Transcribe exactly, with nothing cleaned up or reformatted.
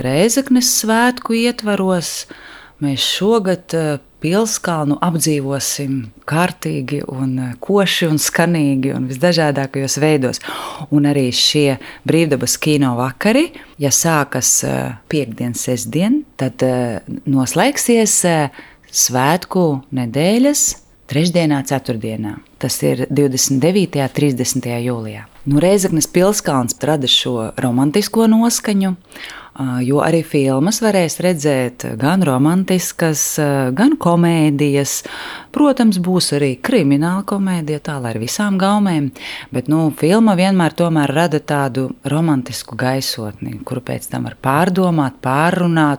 Rēzeknes svētku ietvaros mēs šogad Pilskalnu apdzīvosim kārtīgi un koši un skanīgi un visdažādākajos veidos. Un arī šie brīvdabas kino vakari, ja sākas piektdien, sestdien, tad noslēgsies svētku nedēļas trešdienā, ceturtdienā. Tas ir divdesmit devītajā un trīsdesmitajā jūlijā. Nu, Rēzeknes Pilskalns rada šo romantisko noskaņu, jo arī filmas varēs redzēt gan romantiskas, gan komēdijas. Protams, būs arī krimināla komēdija, tā lai ar visām gaumēm, bet nu, filma vienmēr tomēr rada tādu romantisku gaisotni, kuru pēc tam var pārdomāt, pārrunāt.